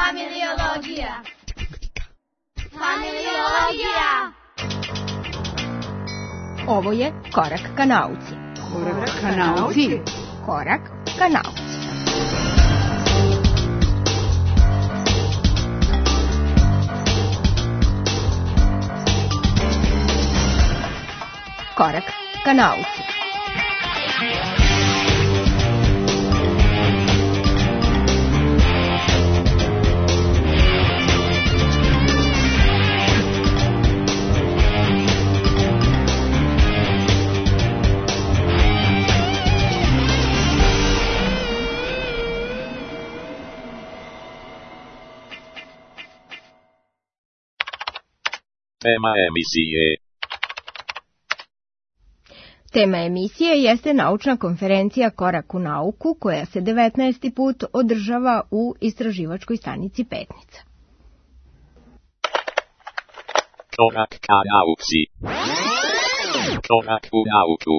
Familiologija. Familiologija. Ovo je Korak ka nauci. Korak ka nauci. Korak ka nauci. Korak ka nauci. Tema emisije. Tema emisije jeste naučna konferencija Korak u nauku, koja se 19. put održava u istraživačkoj stanici Petnica. Korak ka nauci. Korak u nauku.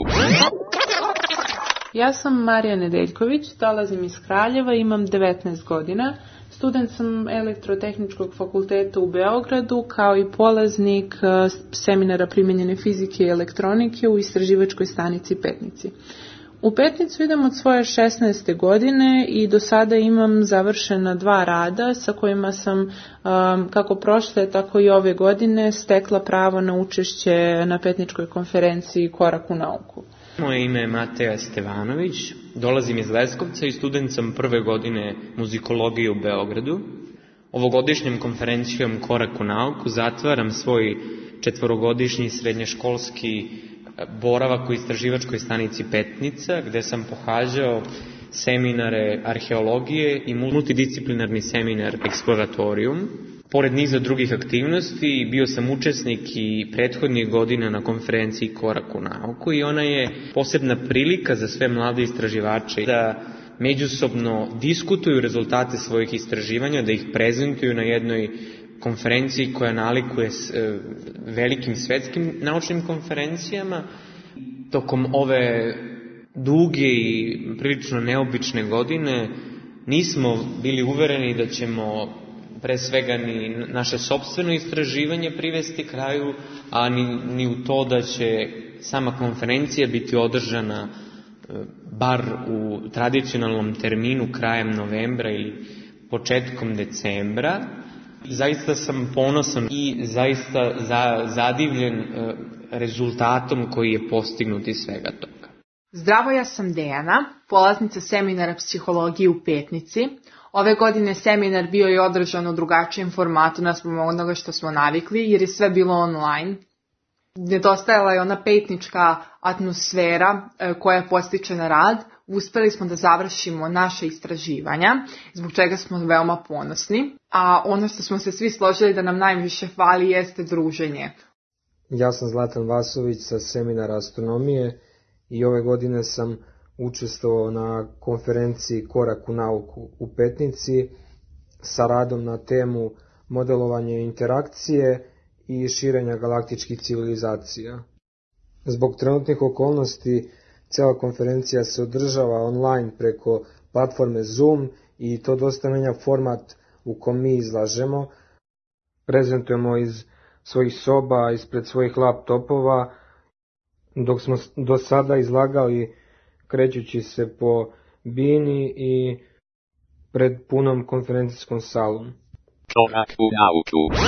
Ja sam Marija Nedeljković, dolazim iz Kraljeva, imam 19 godina. Student sam Elektrotehničkog fakulteta u Beogradu, kao i polaznik seminara primijenjene fizike i elektronike u istraživačkoj stanici Petnici. U Petnicu idem od svoje 16. godine i do sada imam završena 2 rada sa kojima sam kako prošle, tako i ove godine stekla pravo na učešće na Petničkoj konferenciji Korak u nauku. Moje ime je Mateja Stevanović, dolazim iz Leskovca i student sam prve godine muzikologije u Beogradu. Ovogodišnjom konferencijom Korak u nauku zatvaram svoj 4-godišnji srednjoškolski boravak u istraživačkoj stanici Petnica, gde sam pohađao seminare arheologije i multidisciplinarni seminar Exploratorium. Pored niza drugih aktivnosti, bio sam učesnik i prethodnih godina na konferenciji Korak u nauku i ona je posebna prilika za sve mlade istraživače da međusobno diskutuju rezultate svojih istraživanja, da ih prezentuju na jednoj konferenciji koja nalikuje s velikim svetskim naučnim konferencijama. Tokom ove duge i prilično neobične godine nismo bili uvereni da ćemo pre svega ni naše sopstveno istraživanje privesti kraju, a ni u to da će sama konferencija biti održana bar u tradicionalnom terminu krajem novembra ili početkom decembra. Zaista sam ponosan i zaista zadivljen rezultatom koji je postignut iz svega toga. Zdravo, ja sam Dejana, polaznica seminara psihologije u Petnici. Ove godine seminar bio je održan u drugačijem formatu naspram onoga što smo navikli, jer je sve bilo online. Nedostajala je ona petnička atmosfera koja postiče na rad. Uspeli smo da završimo naše istraživanja, zbog čega smo veoma ponosni. A ono što smo se svi složili da nam najviše fali jeste druženje. Ja sam Zlatan Vasović sa seminara astronomije i ove godine sam učestvovao na konferenciji Korak u nauku u Petnici sa radom na temu modelovanje interakcije i širenja galaktičkih civilizacija. Zbog trenutnih okolnosti, cijela konferencija se održava online preko platforme Zoom i to dosta menja format u kom mi izlažemo. Prezentujemo iz svojih soba, ispred svojih laptopova, dok smo do sada izlagali krećući se po bini i pred punom konferencijskom salom. Korak u nauku.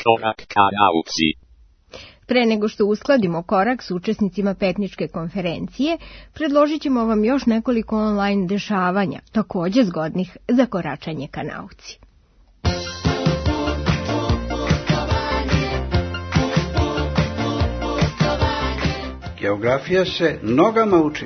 Korak ka nauci. Pre nego što uskladimo korak s učesnicima Petničke konferencije, predložit ćemo vam još nekoliko online dešavanja, također zgodnih za koračanje ka nauci. Geografija se nogama uči.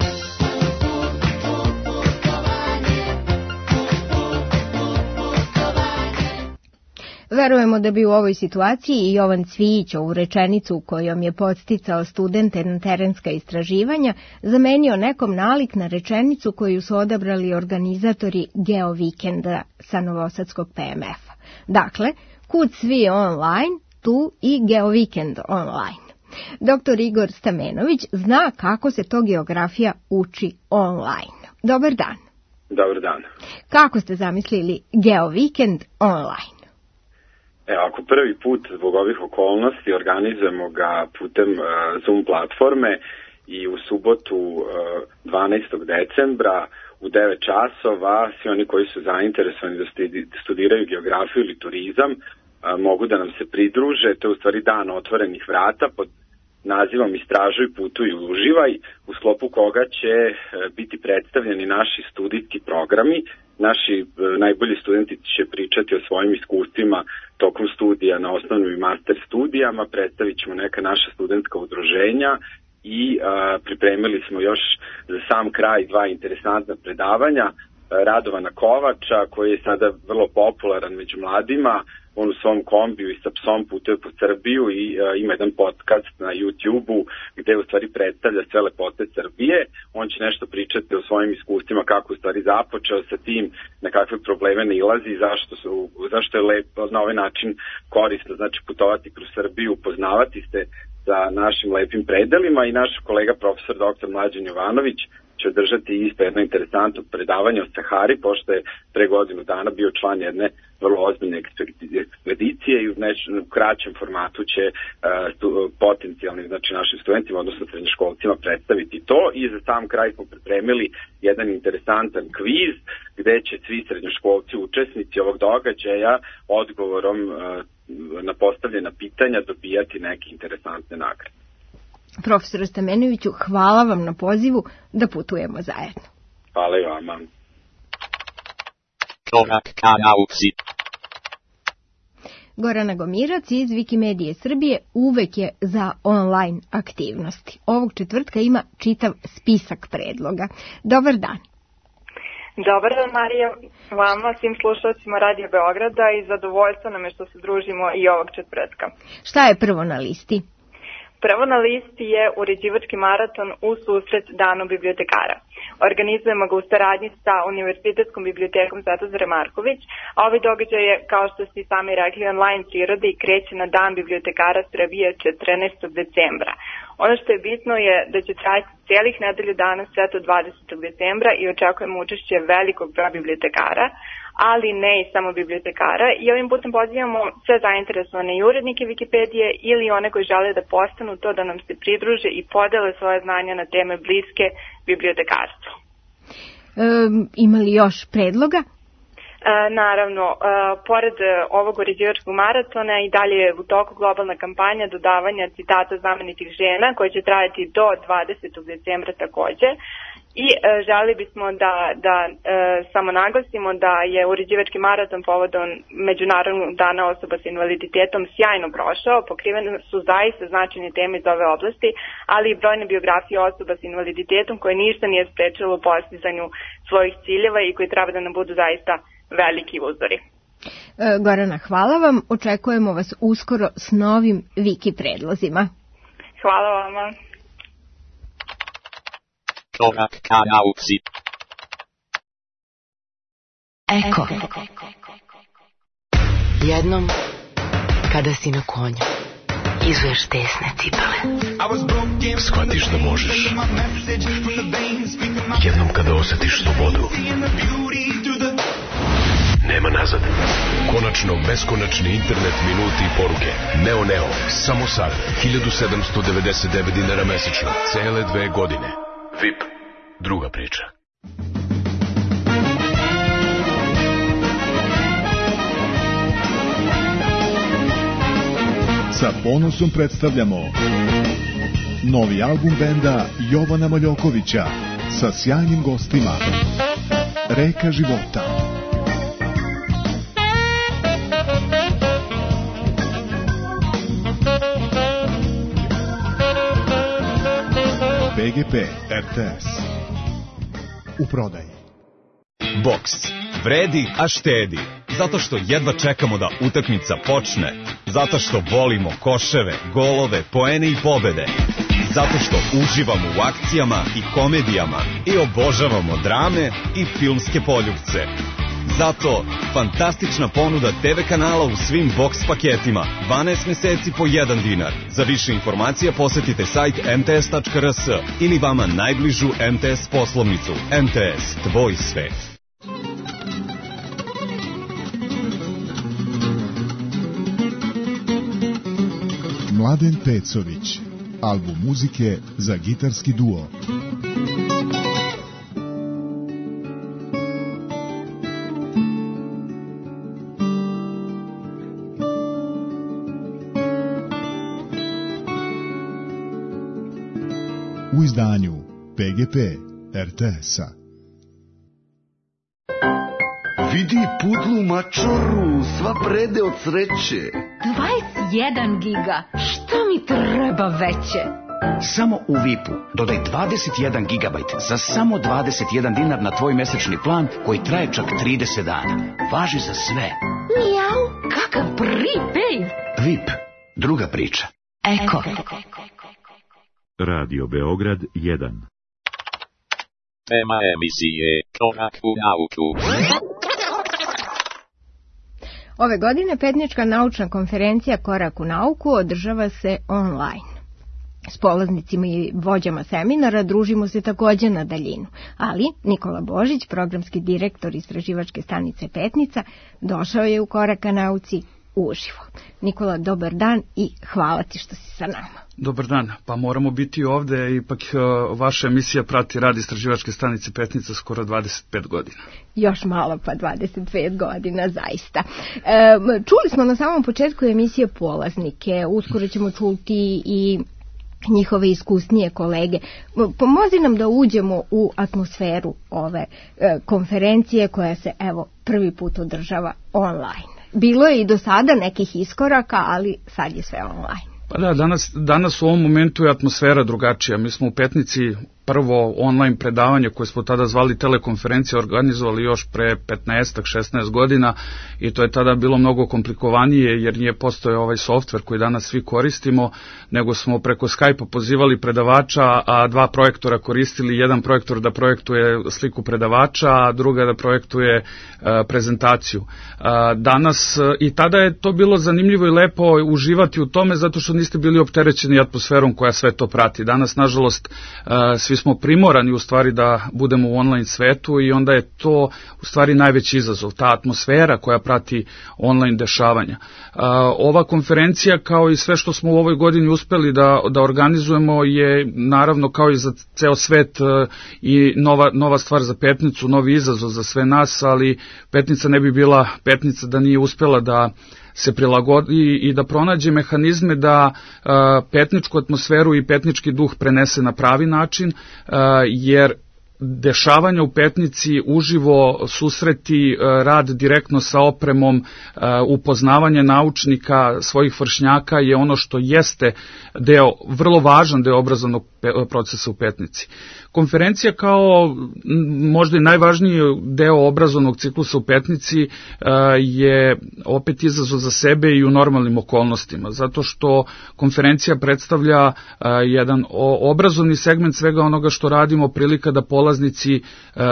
Verujemo da bi u ovoj situaciji i Jovan Cvijić ovu rečenicu kojom je podsticao studente na terenska istraživanja zamenio nekom nalik na rečenicu koju su odabrali organizatori Geovikenda sa Novosadskog PMF-a. Dakle, kud svi online, tu i Geovikend online. Dr. Igor Stamenović zna kako se to geografija uči online. Dobar dan. Dobar dan. Kako ste zamislili GeoVikend online? Ako prvi put zbog ovih okolnosti organizujemo ga putem Zoom platforme i u subotu 12. decembra u 9 časova svi oni koji su zainteresovani da studiraju geografiju ili turizam mogu da nam se pridruže. To je u stvari dan otvorenih vrata pod nazivom Istražuj, putuj, uživaj, u sklopu koga će biti predstavljeni naši studijski programi. Naši najbolji studenti će pričati o svojim iskustvima tokom studija na osnovnim i master studijama, predstavit ćemo neka naša studentska udruženja i pripremili smo još za sam kraj 2 interesantna predavanja. Radovana Kovača, koji je sada vrlo popularan među mladima, on u svom kombiju i sa psom putuje po Srbiju i ima jedan podcast na YouTube-u gde u stvari predstavlja sve lepote Srbije. On će nešto pričati o svojim iskustvima, kako u stvari započeo sa tim, na kakve probleme nailazi i zašto je lepo na ovaj način korisno, znači putovati kroz Srbiju, upoznavati se sa našim lepim predelima i naš kolega profesor dr. Mlađan Jovanović će održati isto jedno interesantno predavanje o Sahari, pošto je pre godinu dana bio član jedne vrlo ozbiljne ekspedicije i u kraćem formatu će potencijalnim, znači našim studentima, odnosno srednjoškolcima predstaviti to. I za sam kraj smo pripremili jedan interesantan kviz gde će svi srednjoškolci, učesnici ovog događaja, odgovorom na postavljena pitanja dobijati neke interesantne nagrade. Profesor Stamenoviću, hvala vam na pozivu da putujemo zajedno. Hvala i vama. Korak ka nauci. Gorana Gomirac iz Wikimedije Srbije uvek je za online aktivnosti. Ovog četvrtka ima čitav spisak predloga. Dobar dan. Dobar dan, Marija, vama, svim slušalcima Radio Beograda i zadovoljstvo nam je što se družimo i ovog četvrtka. Šta je prvo na listi? Prvo na listi je uređivački maraton u susret Danu bibliotekara. Organizujemo ga u saradnji sa Univerzitetskom bibliotekom Svetozar Marković, a ovaj događaj je, kao što ste sami rekli, online prirode i kreće na Dan bibliotekara Srbije 14. decembra. Ono što je bitno je da će trajati cijelih nedelju dana sve do 20. decembra i očekujemo učešće velikog broja bibliotekara, ali ne i samo bibliotekara, i ovim putem pozivamo sve zainteresovane i urednike Wikipedije ili one koji žele da postanu to, da nam se pridruže i podele svoje znanja na teme bliske bibliotekarstvu. Ima li još predloga? Naravno, pored ovog uređivačkog maratona i dalje je u toku globalna kampanja dodavanja citata znamenitih žena koja će trajati do 20. decembra takođe. I želi bismo da samo naglasimo da je uređivački maraton povodom Međunarodnog dana osoba sa invaliditetom sjajno prošao. Pokrivene su zaista značajne teme iz ove oblasti, ali i brojne biografije osoba sa invaliditetom koje ništa nije sprečilo u postizanju svojih ciljeva i koji treba da nam budu zaista veliki uzori. Gorana, hvala vam. Očekujemo vas uskoro s novim Wiki predlozima. Hvala vama. Korak ka nauci. Eko. Jednom, kada si na konju, izuješ tesne cipele. Shvatiš da možeš. Jednom kada osjetiš slobodu. Nema nazad. Konačno beskonačni internet, minuti i poruke. Neo, samo sad. 1799 dinara mesečno. Cele 2 godine. VIP. Druga priča. Sa ponosom predstavljamo novi album benda Jovana Maljokovića sa sjajnim gostima. Reka života. BGP RTS. U prodaji. Boks. Vredi, a štedi. Zato što jedva čekamo da utakmica počne. Zato što volimo koševe, golove, poene i pobede. Zato što uživamo u akcijama i komedijama i obožavamo drame i filmske poljupce. Zato fantastična ponuda TV kanala u svim boks paketima. 12 meseci po 1 dinar. Za više informacija posetite sajt mts.rs ili vama najbližu MTS poslovnicu. MTS, tvoj svet. Mladen Pecović, album muzike za gitarski duo. U izdanju PGP RTS-a. Vidi pudlu mačoru, sva prede od sreće. 21 giga, šta mi treba veće? Samo u VIP-u dodaj 21 gigabajt za samo 21 dinar na tvoj mesečni plan koji traje čak 30 dana. Važi za sve. Mijau, kakav prepaid. VIP, druga priča. Eko. Radio Beograd 1. Tema emisije Korak u nauku. Ove godine Petnička naučna konferencija Korak u nauku održava se online. S polaznicima i vođama seminara družimo se također na daljinu, ali Nikola Božić, programski direktor istraživačke stanice Petnica, došao je u Korak ka nauci uživo. Nikola, dobar dan i hvala ti što si sa nama. Dobar dan, pa moramo biti ovde, ipak vaša emisija prati rad istraživačke stanice Petnica skoro 25 godina. Još malo pa 25 godina, zaista. Čuli smo na samom početku emisije polaznike, uskoro ćemo čuti i njihove iskusnije kolege. Pomozi nam da uđemo u atmosferu ove konferencije koja se evo prvi put održava online. Bilo je i do sada nekih iskoraka, ali sad je sve online. Pa da, danas u ovom momentu je atmosfera drugačija. Mi smo u Petnici prvo online predavanje koje smo tada zvali telekonferencija organizovali još pre 15-16 godina i to je tada bilo mnogo komplikovanije jer nije postojao ovaj softver koji danas svi koristimo, nego smo preko Skype-a pozivali predavača, a dva projektora koristili, jedan projektor da projektuje sliku predavača, a druga da projektuje prezentaciju. Danas i tada je to bilo zanimljivo i lepo uživati u tome zato što niste bili opterećeni atmosferom koja sve to prati. Danas, nažalost, svi smo primorani u stvari da budemo u online svetu i onda je to u stvari najveći izazov, ta atmosfera koja prati online dešavanja. Ova konferencija kao i sve što smo u ovoj godini uspeli da organizujemo je naravno kao i za ceo svet i nova stvar za Petnicu, novi izazov za sve nas, ali Petnica ne bi bila Petnica da nije uspela da se prilagodi i da pronađe mehanizme da petničku atmosferu i petnički duh prenese na pravi način, jer dešavanja u Petnici, uživo susreti, rad direktno sa opremom, upoznavanje naučnika, svojih vršnjaka je ono što jeste vrlo važan deo obrazovnog procesa u Petnici. Konferencija kao možda i najvažniji deo obrazovnog ciklusa u Petnici je opet izazov za sebe i u normalnim okolnostima, zato što konferencija predstavlja jedan obrazovni segment svega onoga što radimo, prilika da polaznici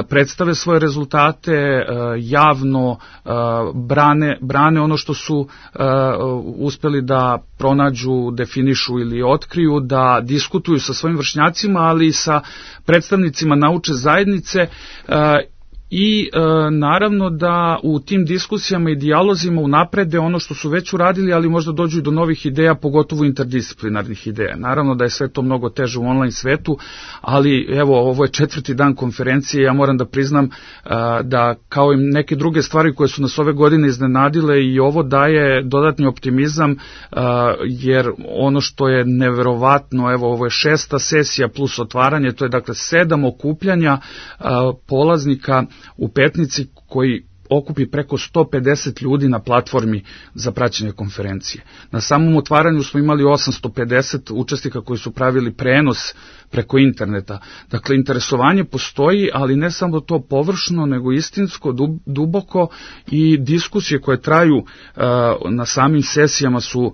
predstave svoje rezultate, javno brane ono što su uspeli da pronađu, definišu ili otkriju, da diskutuju sa svojim vršnjacima, ali i sa predstavnicima naučne zajednice i naravno da u tim diskusijama i dijalozima unaprede ono što su već uradili, ali možda dođu i do novih ideja, pogotovo interdisciplinarnih ideja. Naravno da je sve to mnogo teže u online svetu, ali evo, ovo je 4. dan konferencije, ja moram da priznam da kao i neke druge stvari koje su nas ove godine iznenadile i ovo daje dodatni optimizam, jer ono što je neverovatno, evo, ovo je 6. sesija plus otvaranje, to je dakle 7 okupljanja polaznika u Petnici koji okupi preko 150 ljudi na platformi za praćenje konferencije. Na samom otvaranju smo imali 850 učesnika koji su pravili prenos preko interneta. Dakle, interesovanje postoji, ali ne samo to površno, nego istinsko, duboko i diskusije koje traju na samim sesijama su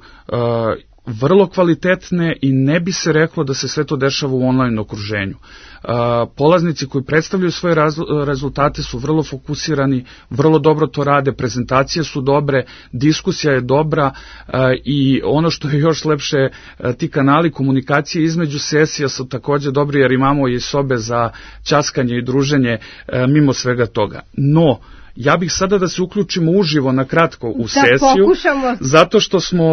vrlo kvalitetne i ne bi se reklo da se sve to dešava u online okruženju. Polaznici koji predstavljaju svoje rezultate su vrlo fokusirani, vrlo dobro to rade, prezentacije su dobre, diskusija je dobra i ono što je još lepše, ti kanali komunikacije između sesija su također dobri jer imamo i sobe za ćaskanje i druženje mimo svega toga. No, Ja bih sada da se uključimo uživo na kratko u sesiju, zato što smo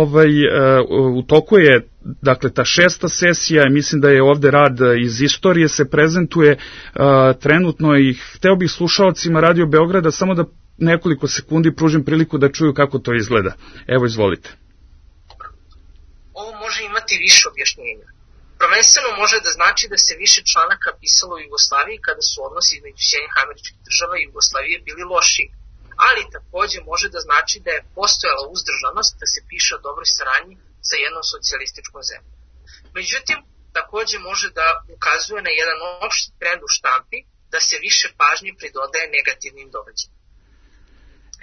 u toku je dakle ta 6. sesija, mislim da je ovde rad iz istorije se prezentuje trenutno i hteo bih slušaocima Radio Beograda samo da nekoliko sekundi pružim priliku da čuju kako to izgleda. Evo, izvolite. Ovo može imati više objašnjenja. Prvenstveno može da znači da se više članaka pisalo u Jugoslaviji kada su odnosi između Sjedinjenih Američkih Država i Jugoslavije bili loši, ali takođe može da znači da je postojala uzdržanost da se piše o dobroj saradnji sa jednom socijalističkom zemljom. Međutim, takođe može da ukazuje na jedan opšti trend u štampi da se više pažnje pridodaje negativnim događajima.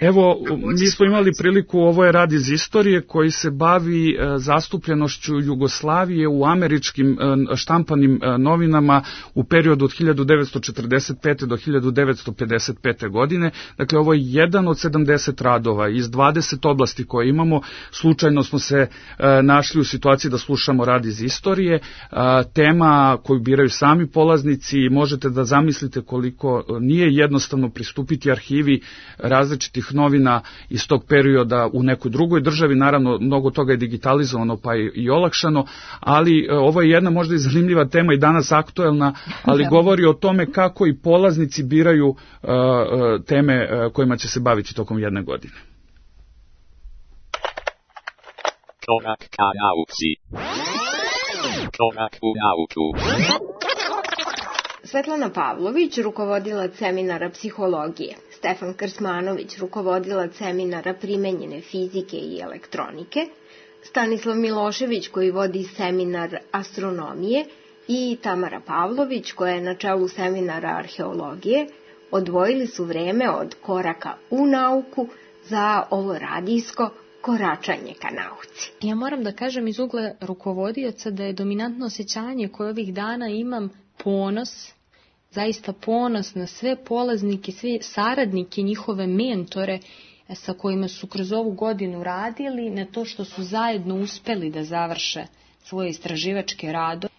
Evo, mi smo imali priliku, ovo je rad iz istorije koji se bavi zastupljenošću Jugoslavije u američkim štampanim novinama u periodu od 1945. do 1955. godine. Dakle, ovo je jedan od 70 radova iz 20 oblasti koje imamo. Slučajno smo se našli u situaciji da slušamo rad iz istorije. Tema koju biraju sami polaznici, možete da zamislite koliko nije jednostavno pristupiti arhivi različitih novina iz tog perioda u nekoj drugoj državi, naravno mnogo toga je digitalizovano pa i olakšano, ali ovo je jedna možda i zanimljiva tema i danas aktuelna, ali govori o tome kako i polaznici biraju teme kojima će se baviti tokom jedne godine. Korak ka nauci. Korak u nauku. Svetlana Pavlović, rukovodilac seminara psihologije, Stefan Krsmanović, rukovodilac seminara primenjene fizike i elektronike, Stanislav Milošević koji vodi seminar astronomije i Tamara Pavlović koja je na čelu seminara arheologije odvojili su vreme od koraka u nauku za ovo radijsko koračanje ka nauci. Ja moram da kažem iz ugla rukovodioca da je dominantno osjećanje koje ovih dana imam ponos, zaista ponos na sve polaznike, sve saradnike, njihove mentore sa kojima su kroz ovu godinu radili, na to što su zajedno uspeli da završe svoje istraživačke radove.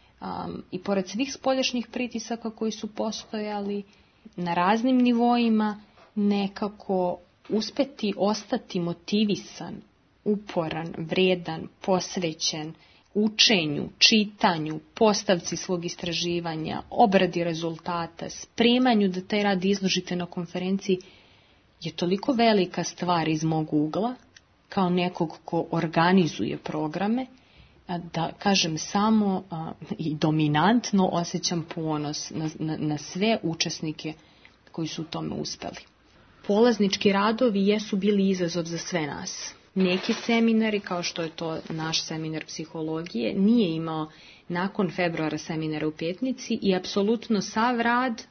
I pored svih spoljašnjih pritisaka koji su postojali na raznim nivoima, nekako uspeti ostati motivisan, uporan, vredan, posvećen učenju, čitanju, postavci svog istraživanja, obradi rezultata, spremanju da taj rad izložite na konferenciji, je toliko velika stvar iz mog ugla, kao nekog ko organizuje programe, da kažem samo i dominantno osjećam ponos na sve učesnike koji su u tome uspeli. Polaznički radovi jesu bili izazov za sve nas. Neki seminari, kao što je to naš seminar psihologije, nije imao nakon februara seminara u Petnici i apsolutno sav rad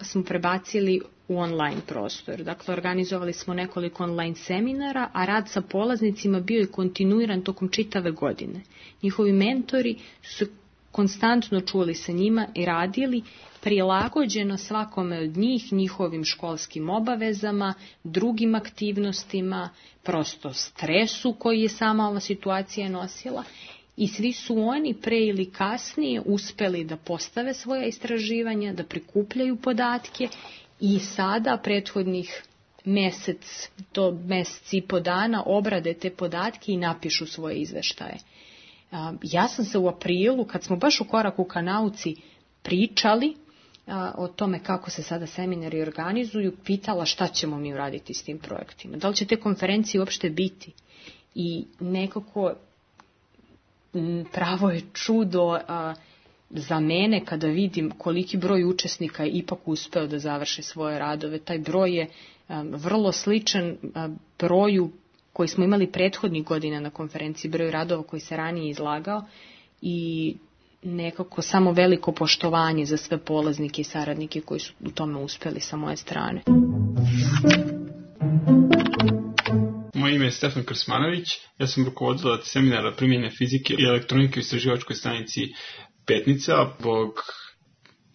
smo prebacili u online prostor. Dakle, organizovali smo nekoliko online seminara, a rad sa polaznicima bio je kontinuiran tokom čitave godine. Njihovi mentori su se konstantno čuli sa njima i radili prilagođeno svakome od njih, njihovim školskim obavezama, drugim aktivnostima, prosto stresu koji je sama ova situacija nosila. I svi su oni pre ili kasnije uspeli da postave svoja istraživanja, da prikupljaju podatke i sada prethodnih mesec do mesec i po dana obrade te podatke i napišu svoje izveštaje. Ja sam se u aprilu, kad smo baš u koraku ka nauci pričali o tome kako se sada seminari organizuju, pitala šta ćemo mi uraditi s tim projektima. Da li će te konferencije uopšte biti? I nekako pravo je čudo za mene kada vidim koliki broj učesnika je ipak uspeo da završi svoje radove. Taj broj je vrlo sličan broju koji smo imali prethodnih godina na konferenciji, broju radova koji se ranije izlagao i nekako samo veliko poštovanje za sve polaznike i saradnike koji su u tome uspeli sa moje strane. Moje ime je Stefan Krsmanović, ja sam rukovodilac seminara primjene fizike i elektronike u istraživačkoj stanici Petnica. Zbog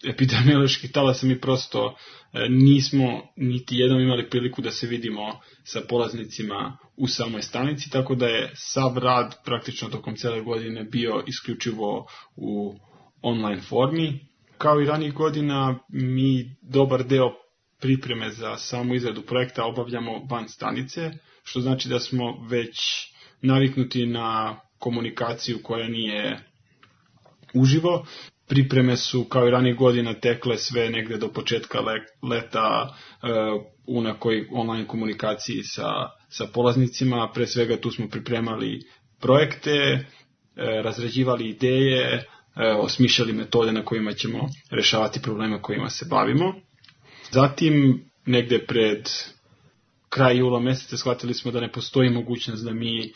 epidemioloških talasa mi prosto nismo niti jednom imali priliku da se vidimo sa polaznicima u samoj stanici, tako da je sav rad praktično tokom cele godine bio isključivo u online formi. Kao i ranijih godina, mi dobar deo pripreme za samu izradu projekta obavljamo van stanice, što znači da smo već naviknuti na komunikaciju koja nije uživo. Pripreme su kao i ranijih godina tekle sve negde do početka leta u nekoj online komunikaciji sa polaznicima. Pre svega tu smo pripremali projekte, razrađivali ideje, osmišljali metode na kojima ćemo rešavati probleme kojima se bavimo. Zatim, negde pred kraj jula meseca shvatili smo da ne postoji mogućnost da mi,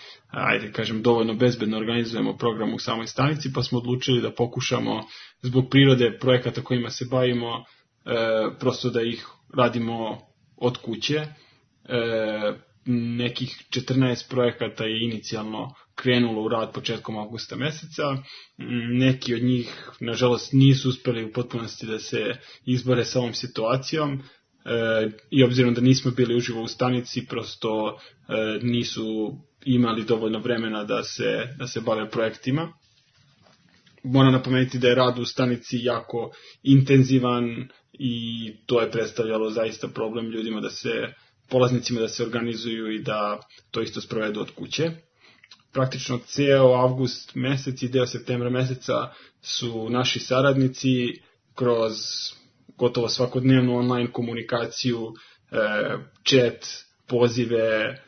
dovoljno bezbedno organizujemo program u samoj stanici, pa smo odlučili da pokušamo, zbog prirode projekata kojima se bavimo, prosto da ih radimo od kuće. Nekih 14 projekata je inicijalno krenulo u rad početkom avgusta meseca. Neki od njih, nažalost, nisu uspeli u potpunosti da se izbore sa ovom situacijom i obzirom da nismo bili uživo u stanici, prosto nisu imali dovoljno vremena da se bave projektima. Moram napomenuti da je rad u stanici jako intenzivan i to je predstavljalo zaista problem ljudima polaznicima da se organizuju i da to isto sprovedu od kuće. Praktično ceo avgust mesec i deo septembra meseca su naši saradnici kroz gotovo svakodnevnu online komunikaciju, chat, pozive,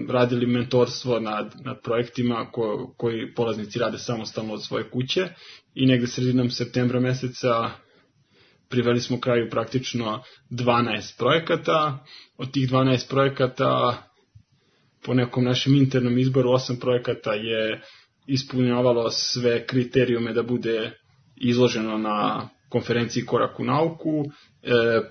radili mentorstvo nad projektima koji polaznici rade samostalno od svoje kuće i negde sredinom septembra meseca priveli smo kraju praktično 12 projekata. Od tih 12 projekata, po nekom našem internom izboru, 8 projekata je ispunjavalo sve kriterijume da bude izloženo na konferenciji Korak u nauku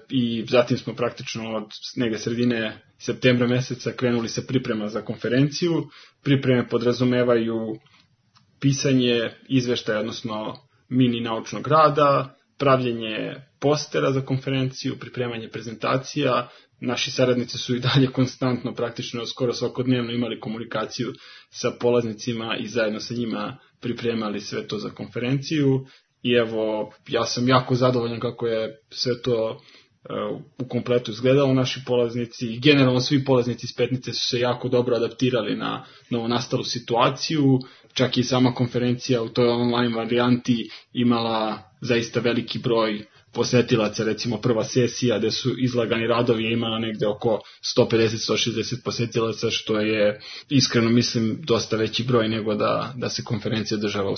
i zatim smo praktično od negde sredine septembra meseca krenuli sa priprema za konferenciju. Pripreme podrazumevaju pisanje izveštaja, odnosno mini naučnog rada, pravljenje postera za konferenciju, pripremanje prezentacija. Naši saradnici su i dalje konstantno, praktično skoro svakodnevno imali komunikaciju sa polaznicima i zajedno sa njima pripremali sve to za konferenciju. I evo, ja sam jako zadovoljan kako je sve to u kompletu izgledalo. Naši polaznici i generalno svi polaznici iz Petnice su se jako dobro adaptirali na novonastalu situaciju. Čak i sama konferencija u toj online varijanti imala zaista veliki broj posetilaca. Recimo prva sesija gde su izlagani radovi je imala negde oko 150-160 posetilaca, što je, iskreno mislim, dosta veći broj nego da se konferencija održava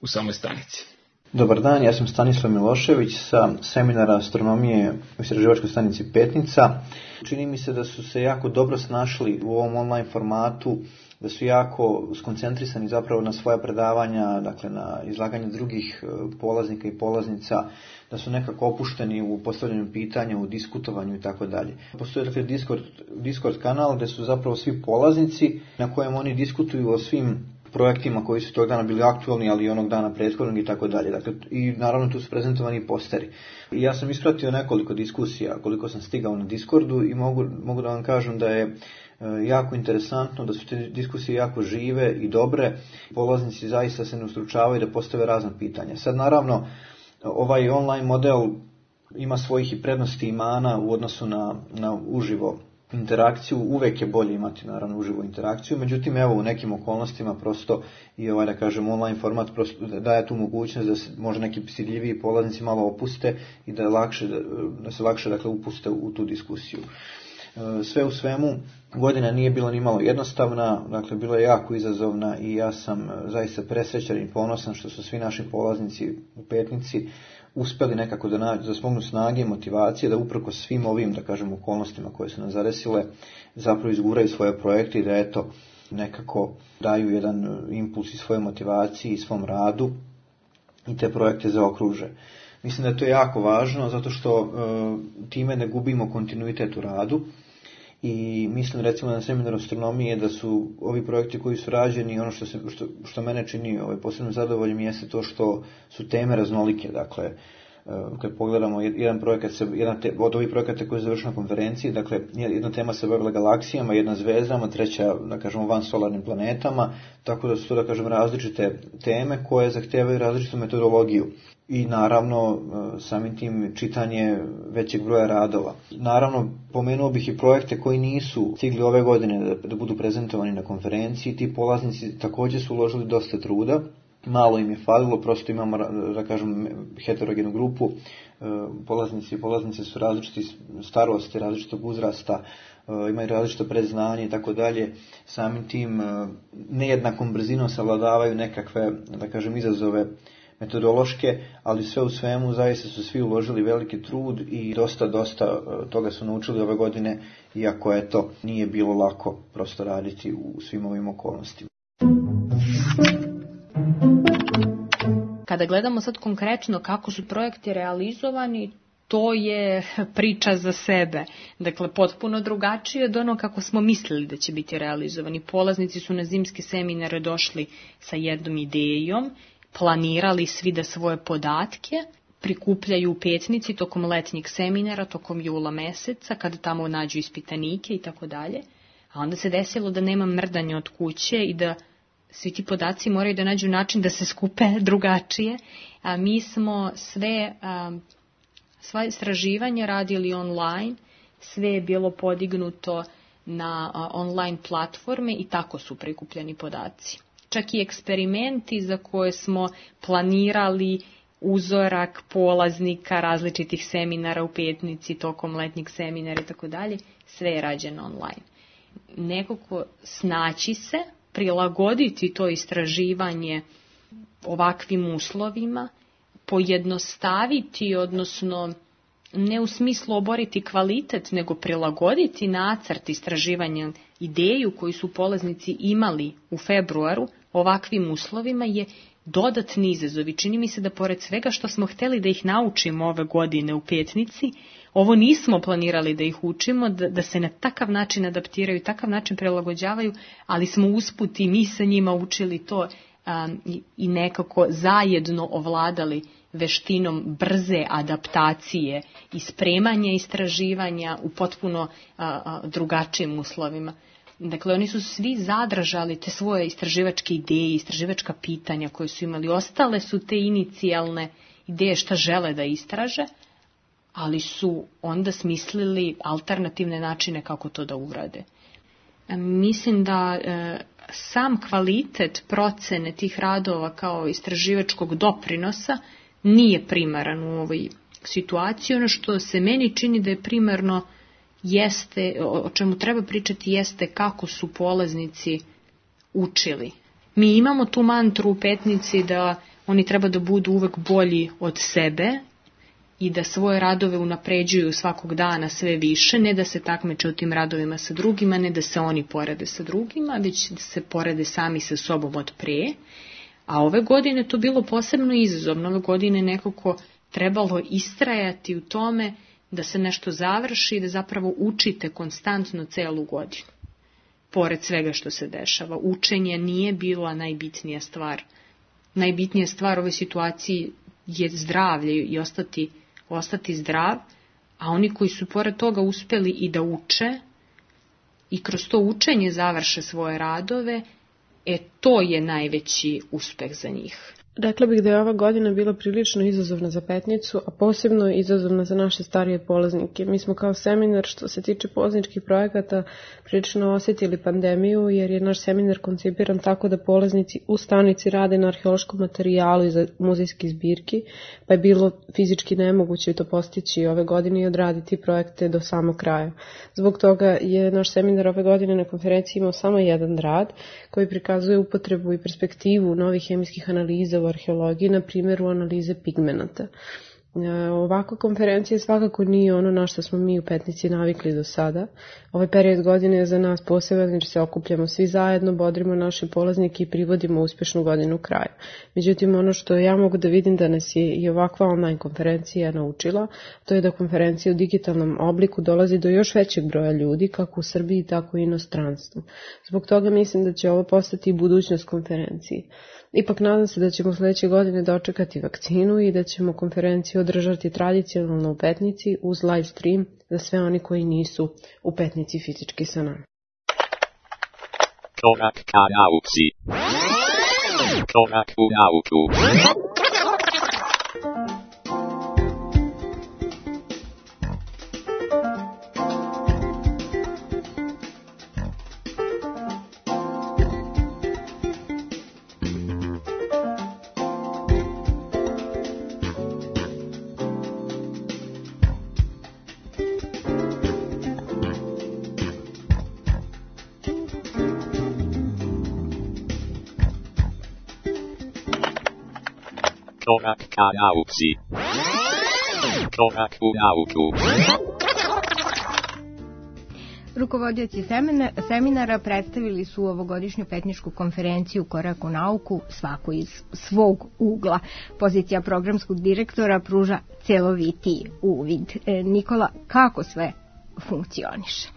u samoj stanici. Dobar dan, ja sam Stanislav Milošević sa seminara astronomije u istraživačkoj stanici Petnica. Čini mi se da su se jako dobro snašli u ovom online formatu, da su jako skoncentrisani zapravo na svoja predavanja, dakle na izlaganje drugih polaznika i polaznica, da su nekako opušteni u postavljanju pitanja, u diskutovanju i tako dalje. Postoji dakle Discord kanal gde su zapravo svi polaznici na kojem oni diskutuju o svim projektima koji su tog dana bili aktualni, ali i onog dana prethodnog i tako dalje. Dakle, i naravno tu su prezentovani posteri. I ja sam ispratio nekoliko diskusija koliko sam stigao na Discordu i mogu da vam kažem da je jako interesantno, da su te diskusije jako žive i dobre. Polaznici zaista se ne ustručavaju da postave razna pitanja. Sad naravno ovaj online model ima svojih i prednosti i mana u odnosu na uživo interakciju. Uvek je bolje imati naravno uživo interakciju, međutim evo u nekim okolnostima prosto i da kažem online format prosto daje tu mogućnost da se možda neki stidljiviji polaznici malo opuste i da se lakše dakle upuste u tu diskusiju. Sve u svemu, godina nije bila ni malo jednostavna, dakle bila je jako izazovna i ja sam zaista presrećan i ponosan što su svi naši polaznici u Petnici uspeli nekako da smognu snage i motivacije, da uprkos svim ovim, da kažem, okolnostima koje su nas zadesile, zapravo izguraju svoje projekte i da eto nekako daju jedan impuls i svoje motivaciji i svom radu i te projekte zaokruže. Mislim da je to jako važno zato što time ne gubimo kontinuitet u radu i mislim recimo na seminaru astronomije da su ovi projekti koji su rađeni, ono što mene čini posebno zadovoljnim jeste to što su teme raznolike, dakle kad pogledamo jedan projekat, od ovih projekata koji je završio na konferenciji, dakle jedna tema se bavila galaksijama, jedna zvezdama, treća, da kažemo, vansolarnim planetama, tako da su to, da kažem, različite teme koje zahtevaju različitu metodologiju. I naravno samim tim čitanje većeg broja radova. Naravno, pomenuo bih i projekte koji nisu stigli ove godine da budu prezentovani na konferenciji. Ti polaznici također su uložili dosta truda, malo im je falilo, prosto imamo, da kažem, heterogenu grupu. Polaznici i polaznice su različiti starosti, različitog uzrasta, imaju različito predznanje i tako dalje. Samim tim nejednakom brzinom savladavaju nekakve, da kažem, izazove metodološke, ali sve u svemu zaista su svi uložili veliki trud i dosta toga su naučili ove godine, iako eto nije bilo lako prosto raditi u svim ovim okolnostima. Kada gledamo sad konkretno kako su projekti realizovani, to je priča za sebe. Dakle, potpuno drugačije od ono kako smo mislili da će biti realizovani. Polaznici su na zimske seminare došli sa jednom idejom, planirali svi da svoje podatke prikupljaju u Petnici tokom letnjeg seminara, tokom jula meseca, kada tamo nađu ispitanike i tako dalje. A onda se desilo da nema mrdanja od kuće i da svi ti podaci moraju da nađu način da se skupe drugačije. A mi smo sva istraživanja radili online, sve je bilo podignuto na online platforme i tako su prikupljeni podaci. Čak i eksperimenti za koje smo planirali uzorak polaznika različitih seminara u Petnici tokom letnjeg seminara i tako dalje, sve je rađeno online. Nekako snaći se, prilagoditi to istraživanje ovakvim uslovima, pojednostaviti, odnosno ne u smislu oboriti kvalitet, nego prilagoditi nacrt istraživanja, ideju koju su polaznici imali u februaru ovakvim uslovima je dodatni izazov. I čini mi se da pored svega što smo hteli da ih naučimo ove godine u Petnici, ovo nismo planirali da ih učimo, da se na takav način adaptiraju, takav način prilagođavaju, ali smo usput i mi sa njima učili to i nekako zajedno ovladali veštinom brze adaptacije i spremanja istraživanja u potpuno drugačijim uslovima. Dakle, oni su svi zadržali te svoje istraživačke ideje, istraživačka pitanja koje su imali. Ostale su te inicijalne ideje šta žele da istraže, ali su onda smislili alternativne načine kako to da urade. Mislim da sam kvalitet procene tih radova kao istraživačkog doprinosa nije primaran u ovoj situaciji. Ono što se meni čini da je primarno jeste, o čemu treba pričati, jeste kako su polaznici učili. Mi imamo tu mantru u Petnici da oni treba da budu uvek bolji od sebe i da svoje radove unapređuju svakog dana sve više, ne da se takmiče u tim radovima sa drugima, ne da se oni porede sa drugima, već da se porede sami sa sobom od pre. A ove godine to bilo posebno izazovno. Ove godine nekako trebalo istrajati u tome da se nešto završi i da zapravo učite konstantno celu godinu. Pored svega što se dešava, učenje nije bila najbitnija stvar. Najbitnija stvar u ovoj situaciji je zdravlje i ostati zdrav, a oni koji su pored toga uspeli i da uče i kroz to učenje završe svoje radove, to je najveći uspeh za njih. Rekla bih da je ova godina bila prilično izazovna za Petnicu, a posebno izazovna za naše starije polaznike. Mi smo kao seminar, što se tiče polazničkih projekata, prilično osjetili pandemiju, jer je naš seminar koncipiran tako da polaznici u stanici rade na arheološkom materijalu i za muzejske zbirki, pa je bilo fizički nemoguće to postići ove godine i odraditi projekte do samog kraja. Zbog toga je naš seminar ove godine na konferenciji imao samo jedan rad koji prikazuje upotrebu i perspektivu novih hemijskih analiza u arheologiji, na primjer u analize pigmenata. Ovakva konferencija svakako nije ono na što smo mi u Petnici navikli do sada. Ovaj period godine je za nas poseban jer se okupljamo svi zajedno, bodrimo naše polaznike i privodimo uspešnu godinu kraju. Međutim, ono što ja mogu da vidim da nas je i ovakva online konferencija naučila, to je da konferencija u digitalnom obliku dolazi do još većeg broja ljudi, kako u Srbiji, tako i inostranstvu. Zbog toga mislim da će ovo postati i budućnost konferencije. Ipak nadam se da ćemo sledeće godine dočekati vakcinu i da ćemo konferenciju održati tradicionalno u Petnici uz live stream za sve oni koji nisu u Petnici fizički sa nama. Korak ka nauci. Korak u nauku. Korak ka nauci. Korak u nauku. Rukovodioci seminara predstavili su ovogodišnju petničku konferenciju Korak u nauku, svako iz svog ugla. Pozicija programskog direktora pruža celovitiji uvid. Nikola, kako sve funkcioniše?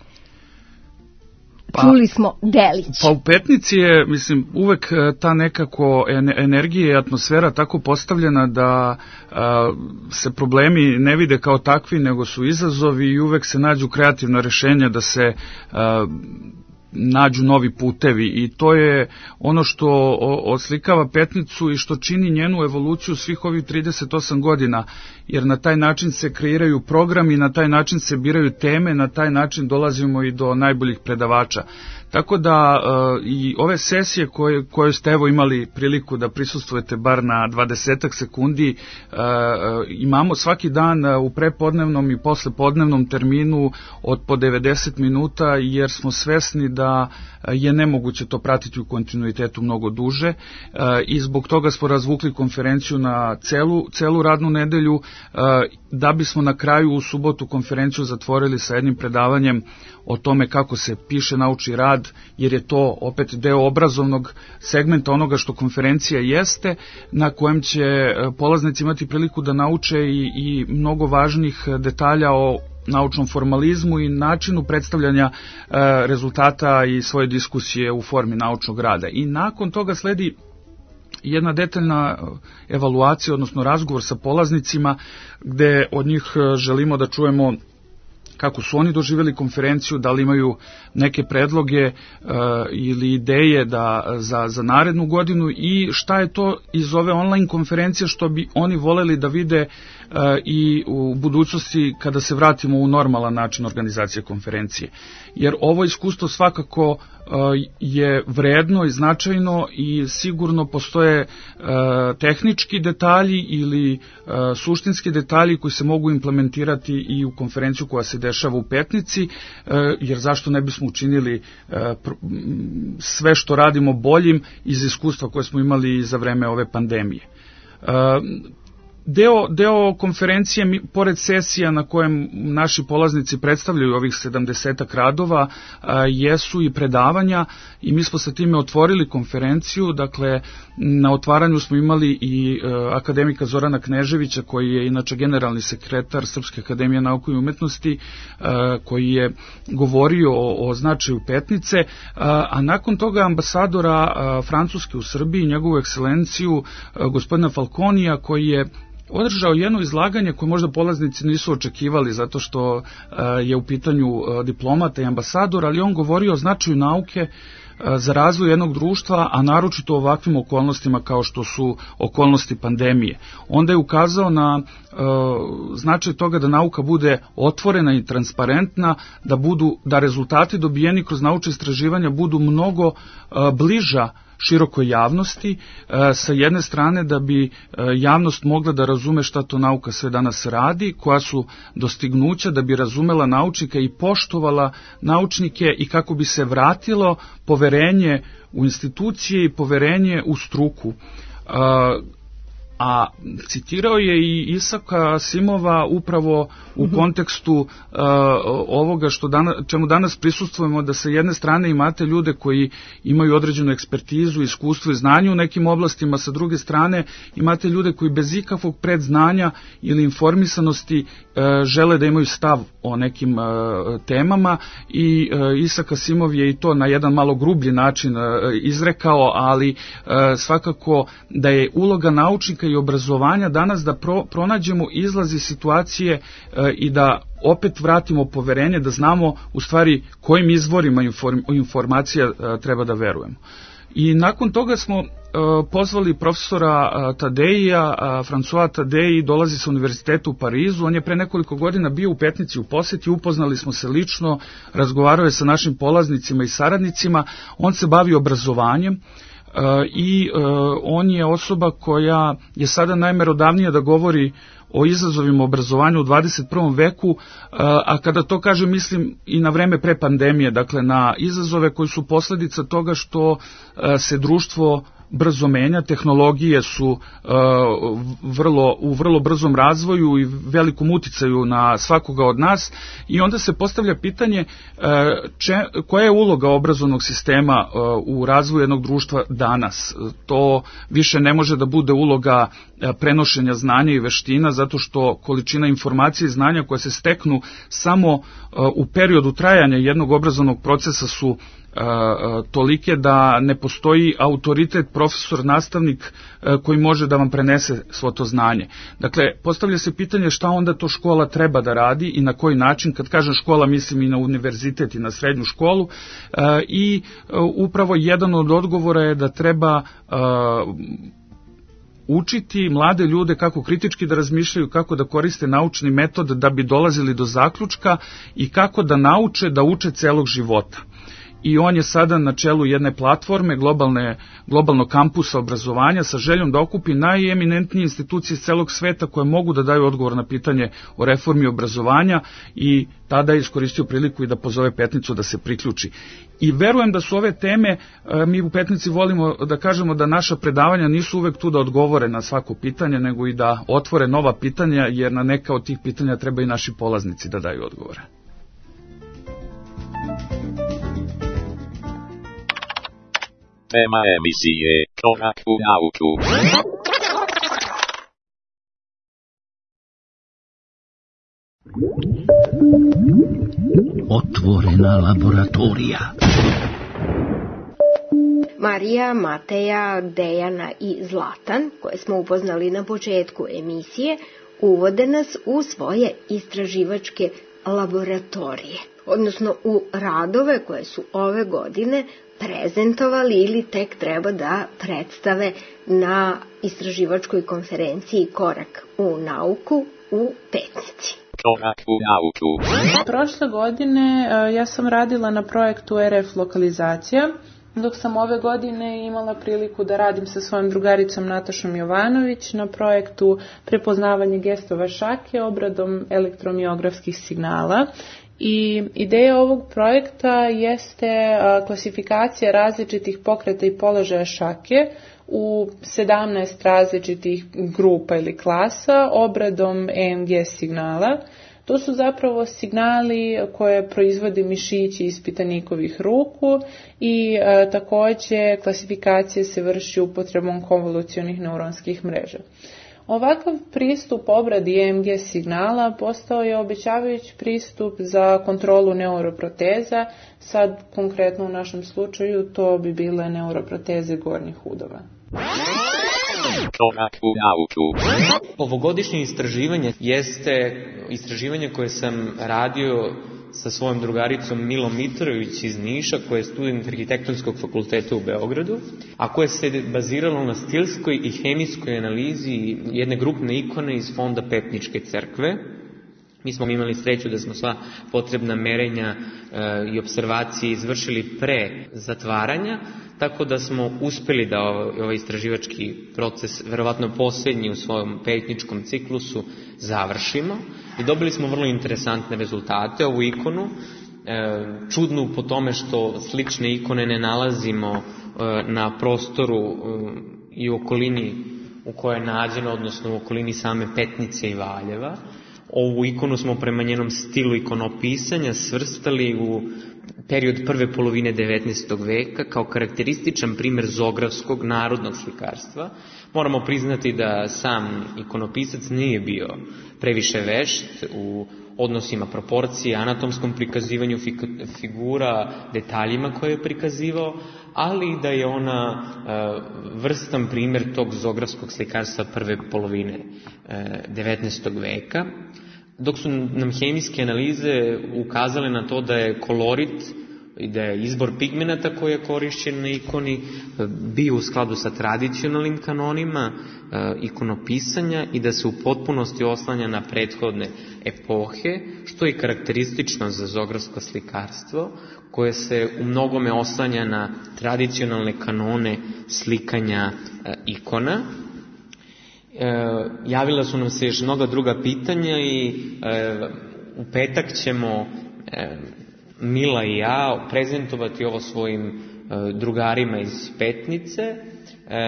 Čuli smo delić. Pa u Petnici je, mislim, uvek ta nekako energija i atmosfera tako postavljena da se problemi ne vide kao takvi, nego su izazovi i uvek se nađu kreativna rešenja da se nađu novi putevi i to je ono što oslikava Petnicu i što čini njenu evoluciju svih ovih 38 godina, jer na taj način se kreiraju programi, na taj način se biraju teme, na taj način dolazimo i do najboljih predavača. Tako da i ove sesije koje ste evo imali priliku da prisustvujete bar na 20 sekundi, imamo svaki dan u prepodnevnom i poslepodnevnom terminu od po 90 minuta, jer smo svesni da je nemoguće to pratiti u kontinuitetu mnogo duže i zbog toga smo razvukli konferenciju na celu radnu nedelju, da bismo na kraju u subotu konferenciju zatvorili sa jednim predavanjem o tome kako se piše naučni rad, jer je to opet deo obrazovnog segmenta onoga što konferencija jeste, na kojem će polaznici imati priliku da nauče i mnogo važnih detalja o naučnom formalizmu i načinu predstavljanja rezultata i svoje diskusije u formi naučnog rada. I nakon toga sledi jedna detaljna evaluacija, odnosno razgovor sa polaznicima, gde od njih želimo da čujemo kako su oni doživjeli konferenciju, da li imaju neke predloge ili ideje za narednu godinu i šta je to iz ove online konferencije što bi oni voleli da vide i u budućnosti kada se vratimo u normalan način organizacije konferencije. Jer ovo iskustvo svakako je vredno i značajno i sigurno postoje tehnički detalji ili suštinski detalji koji se mogu implementirati i u konferenciju koja se dešava u Petnici, jer zašto ne bismo učinili sve što radimo boljim iz iskustva koje smo imali za vreme ove pandemije. Deo konferencije, pored sesija na kojem naši polaznici predstavljaju ovih 70 radova, jesu i predavanja i mi smo sa time otvorili konferenciju. Dakle, na otvaranju smo imali i akademika Zorana Kneževića, koji je inače generalni sekretar Srpske akademije nauke i umetnosti, koji je govorio o značaju Petnice, a nakon toga ambasadora Francuske u Srbiji, njegovu ekscelenciju, gospodina Falconija, koji je održao jedno izlaganje koje možda polaznici nisu očekivali, zato što je u pitanju diplomata i ambasador, ali on govorio o značaju nauke za razvoj jednog društva, a naročito u ovakvim okolnostima kao što su okolnosti pandemije. Onda je ukazao na značaj toga da nauka bude otvorena i transparentna, da rezultati dobijeni kroz naučna istraživanja budu mnogo bliža širokoj javnosti, sa jedne strane da bi javnost mogla da razume šta to nauka sve danas radi, koja su dostignuća, da bi razumela naučnika i poštovala naučnike i kako bi se vratilo poverenje u institucije i poverenje u struku. A citirao je i Isaka Asimova upravo u kontekstu ovoga čemu danas prisustvujemo, da sa jedne strane imate ljude koji imaju određenu ekspertizu, iskustvo i znanje u nekim oblastima, sa druge strane imate ljude koji bez ikakvog predznanja ili informisanosti žele da imaju stav o nekim temama i Isak Asimov je i to na jedan malo grublji način izrekao, ali svakako da je uloga naučnika i obrazovanja danas da pronađemo izlaz iz situacije i da opet vratimo poverenje, da znamo u stvari kojim izvorima informacija treba da verujemo. I nakon toga smo pozvali profesora Tadeija, François Tadej, dolazi sa univerziteta u Parizu, on je pre nekoliko godina bio u Petnici u poseti, upoznali smo se lično, razgovarao je sa našim polaznicima i saradnicima, on se bavi obrazovanjem i on je osoba koja je sada najmerodavnija da govori o izazovima obrazovanja u 21. veku, a kada to kažem mislim i na vreme pre pandemije, dakle na izazove koji su posledica toga što se društvo brzo menja, tehnologije su u vrlo brzom razvoju i velikom uticaju na svakoga od nas i onda se postavlja pitanje koja je uloga obrazovnog sistema u razvoju jednog društva danas. To više ne može da bude uloga prenošenja znanja i veština zato što količina informacije i znanja koje se steknu samo u periodu trajanja jednog obrazovnog procesa su tolike da ne postoji autoritet, profesor, nastavnik koji može da vam prenese svo to znanje. Dakle, postavlja se pitanje šta onda to škola treba da radi i na koji način, kad kažem škola mislim i na univerzitet i na srednju školu i upravo jedan od odgovora je da treba učiti mlade ljude kako kritički da razmišljaju, kako da koriste naučni metod da bi dolazili do zaključka i kako da nauče da uče celog života. I on je sada na čelu jedne platforme, globalnog kampusa obrazovanja sa željom da okupi najeminentnije institucije iz celog sveta koje mogu da daju odgovor na pitanje o reformi obrazovanja i tada je iskoristio priliku i da pozove Petnicu da se priključi. I verujem da su ove teme, mi u Petnici volimo da kažemo da naša predavanja nisu uvek tu da odgovore na svako pitanje, nego i da otvore nova pitanja, jer na neka od tih pitanja treba i naši polaznici da daju odgovore. Tema emisije Korak u nauku. Otvorena laboratorija. Marija, Mateja, Dejana i Zlatan, koje smo upoznali na početku emisije, uvode nas u svoje istraživačke laboratorije, odnosno u radove koje su ove godine prezentovali ili tek treba da predstave na istraživačkoj konferenciji Korak u nauku u Petnici. Korak u nauku. Prošle godine ja sam radila na projektu RF lokalizacija, dok sam ove godine imala priliku da radim sa svojom drugaricom Natašom Jovanović na projektu prepoznavanje gestova šake obradom elektromiografskih signala. I ideja ovog projekta jeste klasifikacija različitih pokreta i položaja šake u 17 različitih grupa ili klasa obradom EMG signala. To su zapravo signali koje proizvode mišići ispitanikovih ruku i također klasifikacija se vrši upotrebom konvolucionih neuronskih mreža. Ovakav pristup obradi EMG signala postao je obećavajući pristup za kontrolu neuroproteza, sad konkretno u našem slučaju to bi bile neuroproteze gornjih udova. Korak u nauku. Ovogodišnje istraživanje jeste istraživanje koje sam radio sa svojom drugaricom Milom Mitrović iz Niša, koja je student Arhitektonskog fakulteta u Beogradu, a koje se baziralo na stilskoj i hemijskoj analizi jedne grupne ikone iz fonda Petničke crkve. Mi smo imali sreću da smo sva potrebna merenja i observacije izvršili pre zatvaranja, tako da smo uspeli da ovaj istraživački proces, verovatno posljednji u svojom petničkom ciklusu, završimo. I dobili smo vrlo interesantne rezultate. Ovu ikonu, čudnu po tome što slične ikone ne nalazimo na prostoru i u okolini u kojoj je nađeno, odnosno u okolini same Petnice i Valjeva. Ovu ikonu smo prema njenom stilu ikonopisanja svrstali u period prve polovine 19. veka kao karakterističan primer zografskog narodnog slikarstva. Moramo priznati da sam ikonopisac nije bio previše vešt u odnosima proporcije, anatomskom prikazivanju figura, detaljima koje je prikazivao, ali da je ona vrstan primer tog zografskog slikarstva prve polovine 19. veka. Dok su nam hemijske analize ukazale na to da je kolorit i da je izbor pigmenata koji je korišćen na ikoni bio u skladu sa tradicionalnim kanonima ikonopisanja i da se u potpunosti oslanja na prethodne epohe, što je karakteristično za zografsko slikarstvo, koje se u mnogome oslanja na tradicionalne kanone slikanja ikona. Javila su nam se još mnoga druga pitanja i u petak ćemo Mila i ja prezentovati ovo svojim drugarima iz Petnice.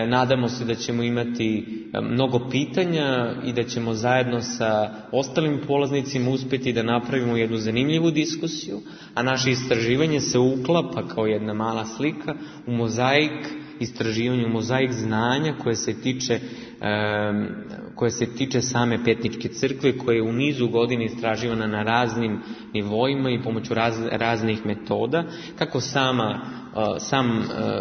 Nadamo se da ćemo imati mnogo pitanja i da ćemo zajedno sa ostalim polaznicima uspjeti da napravimo jednu zanimljivu diskusiju, a naše istraživanje se uklapa kao jedna mala slika u mozaik istraživanje, mozaik znanja koje se tiče same Petničke crkve, koja je u nizu godina istraživana na raznim nivoima i pomoću raznih metoda, kako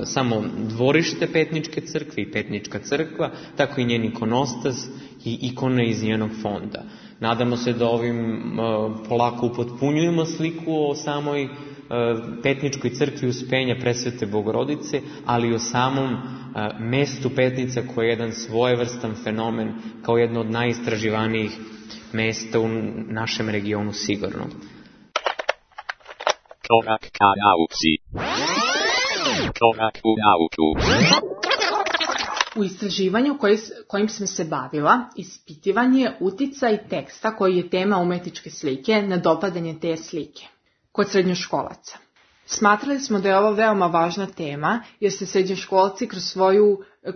samo dvorište Petničke crkve i Petnička crkva, tako i njen ikonostas i ikone iz njenog fonda. Nadamo se da ovim polako upotpunjujemo sliku o samoj Petničkoj crkvi Uspenja Presvete Bogorodice, ali i o samom mestu Petnica, koje je jedan svojevrstan fenomen, kao jedno od najistraživanijih mesta u našem regionu sigurno. Korak ka nauci. Korak u nauku. U istraživanju kojim sam se bavila, ispitivan je uticaj teksta koji je tema umetničke slike na dopadanje te slike kod srednjoškolaca. Smatrali smo da je ovo veoma važna tema, jer se srednjoškolci kroz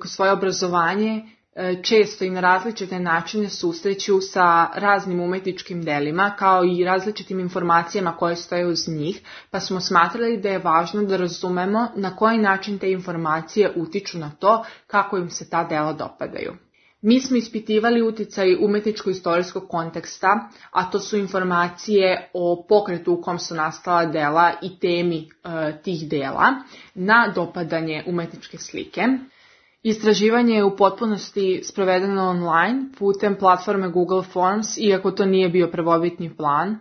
svoje obrazovanje često i na različite načine susreću sa raznim umetničkim delima, kao i različitim informacijama koje stoje uz njih, pa smo smatrali da je važno da razumemo na koji način te informacije utiču na to kako im se ta dela dopadaju. Mi smo ispitivali uticaj umetničko-istorijskog konteksta, a to su informacije o pokretu u kom su nastala dela i temi tih dela, na dopadanje umetničke slike. Istraživanje je u potpunosti sprovedeno online putem platforme Google Forms, iako to nije bio prvobitni plan.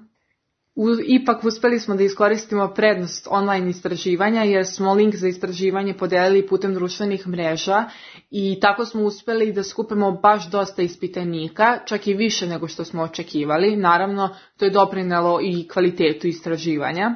Ipak uspeli smo da iskoristimo prednost online istraživanja, jer smo link za istraživanje podelili putem društvenih mreža i tako smo uspeli da skupimo baš dosta ispitanika, čak i više nego što smo očekivali. Naravno, to je doprinelo i kvalitetu istraživanja.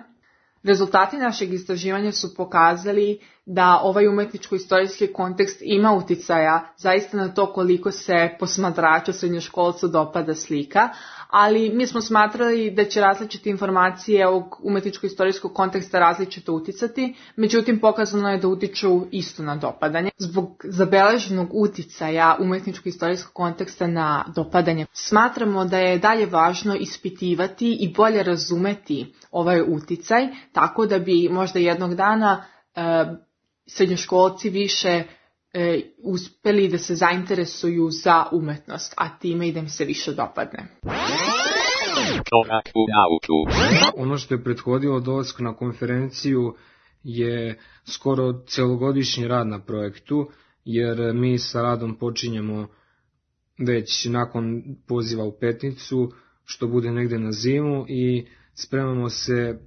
Rezultati našeg istraživanja su pokazali da ovaj umetničko-istorijski kontekst ima uticaja zaista na to koliko se posmatraču srednjoškolcu dopada slika, ali mi smo smatrali da će različite informacije ovog umetničko-istorijskog konteksta različito uticati, međutim pokazano je da utiču isto na dopadanje. Zbog zabeleženog uticaja umetničko-istorijskog konteksta na dopadanje, smatramo da je dalje važno ispitivati i bolje razumeti ovaj uticaj, tako da bi možda jednog dana srednjoškolci više uspeli da se zainteresuju za umetnost, a time i da im se više dopadne. Ono što je prethodilo dolasku na konferenciju je skoro celogodišnji rad na projektu, jer mi sa radom počinjemo već nakon poziva u Petnicu, što bude negde na zimu, i spremamo se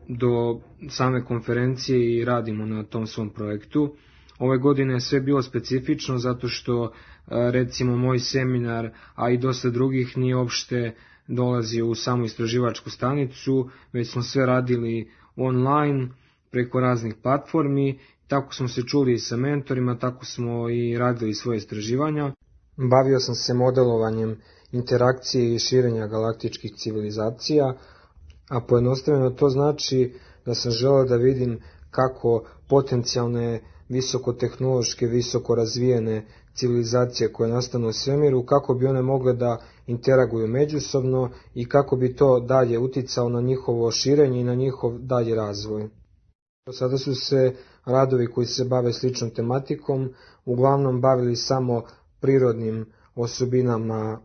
do same konferencije i radimo na tom svom projektu. Ove godine je sve bilo specifično zato što recimo moj seminar, a i dosta drugih, nije uopšte dolazio u samu istraživačku stanicu, već smo sve radili online preko raznih platformi. Tako smo se čuli i sa mentorima, tako smo i radili svoje istraživanja. Bavio sam se modelovanjem interakcije i širenja galaktičkih civilizacija, a pojednostavljeno to znači da sam želeo da vidim kako potencijalne visokotehnološke, visoko razvijene civilizacije koje nastanu u svemiru, kako bi one mogle da interaguju međusobno i kako bi to dalje uticalo na njihovo širenje i na njihov dalji razvoj. Sada su se radovi koji se bave sličnom tematikom uglavnom bavili samo prirodnim osobinama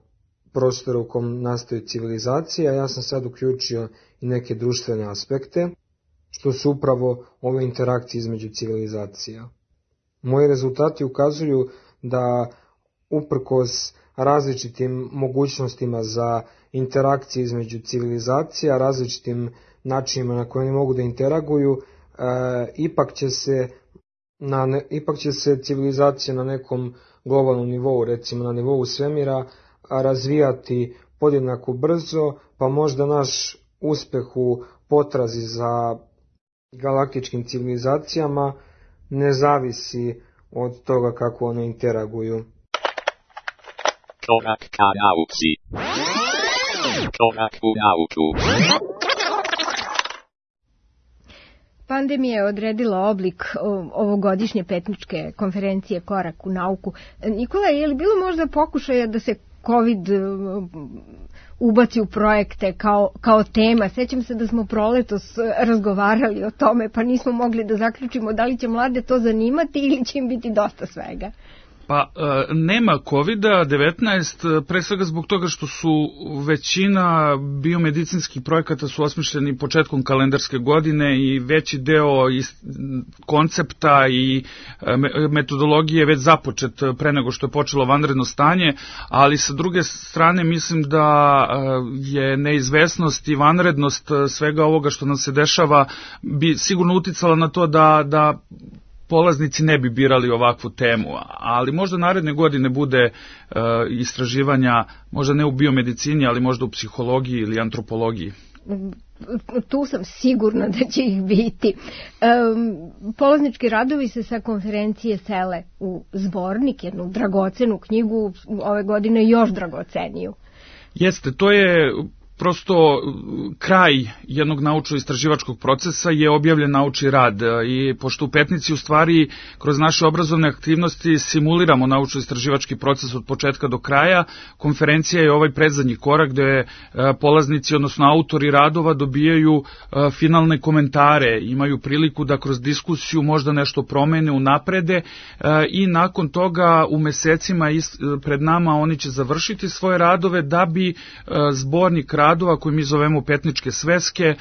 prostora u kom nastaju civilizacije, a ja sam sad uključio i neke društvene aspekte, što su upravo ove interakcije između civilizacija. Moji rezultati ukazuju da uprkos različitim mogućnostima za interakcije između civilizacija, različitim načinima na koje oni mogu da interaguju, ipak će se civilizacija na nekom globalnom nivou, recimo na nivou svemira, razvijati podjednako brzo, pa možda naš uspeh u potrazi za galaktičkim civilizacijama ne zavisi od toga kako one interaguju. Korak ka nauci. Korak u nauku. Pandemija je odredila oblik ovogodišnje petničke konferencije Korak u nauku. Nikola, je li bilo možda pokušaja da se COVID ubaci u projekte kao tema? Sećam se da smo proletos razgovarali o tome, pa nismo mogli da zaključimo da li će mlade to zanimati ili će im biti dosta svega. Pa nema COVID-19, pre svega zbog toga što su većina biomedicinskih projekata su osmišljeni početkom kalendarske godine i veći deo koncepta i metodologije je već započet pre nego što je počelo vanredno stanje, ali sa druge strane mislim da je neizvesnost i vanrednost svega ovoga što nam se dešava bi sigurno uticala na to da polaznici ne bi birali ovakvu temu, ali možda naredne godine bude istraživanja, možda ne u biomedicini, ali možda u psihologiji ili antropologiji. Tu sam sigurna da će ih biti. Polaznički radovi se sa konferencije sele u zbornik, jednu dragocenu knjigu, ove godine još dragoceniju. Jeste, to je prosto kraj jednog naučno-istraživačkog procesa je objavljen naučni rad i pošto u Petnici u stvari kroz naše obrazovne aktivnosti simuliramo naučno-istraživački proces od početka do kraja, konferencija je ovaj predzadnji korak gde polaznici, odnosno autori radova dobijaju finalne komentare, imaju priliku da kroz diskusiju možda nešto promene, unaprede i nakon toga u mesecima pred nama oni će završiti svoje radove da bi zbornik radova koji mi zovemo petničke sveske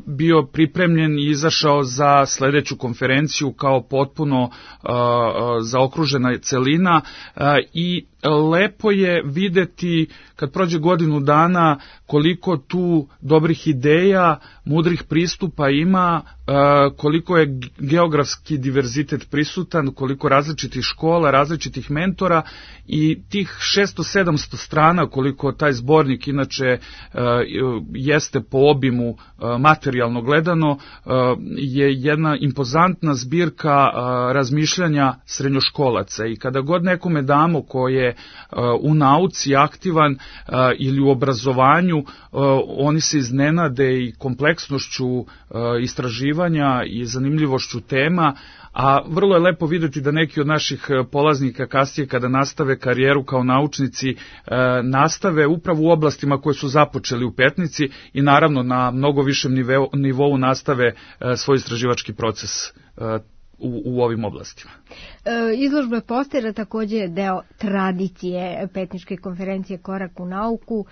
bio pripremljen i izašao za sledeću konferenciju kao potpuno zaokružena celina i lepo je videti kad prođe godinu dana koliko tu dobrih ideja, mudrih pristupa ima, koliko je geografski diverzitet prisutan, koliko različitih škola, različitih mentora i tih 600-700 strana koliko taj zbornik inače jeste po obimu materijalno gledano je jedna impozantna zbirka razmišljanja srednjoškolaca i kada god nekome damo ko je u nauci aktivan ili u obrazovanju, oni se iznenade i kompleksnošću istraživanja i zanimljivošću tema, a vrlo je lepo videti da neki od naših polaznika kasnije kada nastave karijeru kao naučnici nastave upravo u oblastima koje su započeli u Petnici i naravno na mnogo višem nivou nastave svoj istraživački proces u ovim oblastima. Izložba postera također je deo tradicije Petničke konferencije Korak u nauku.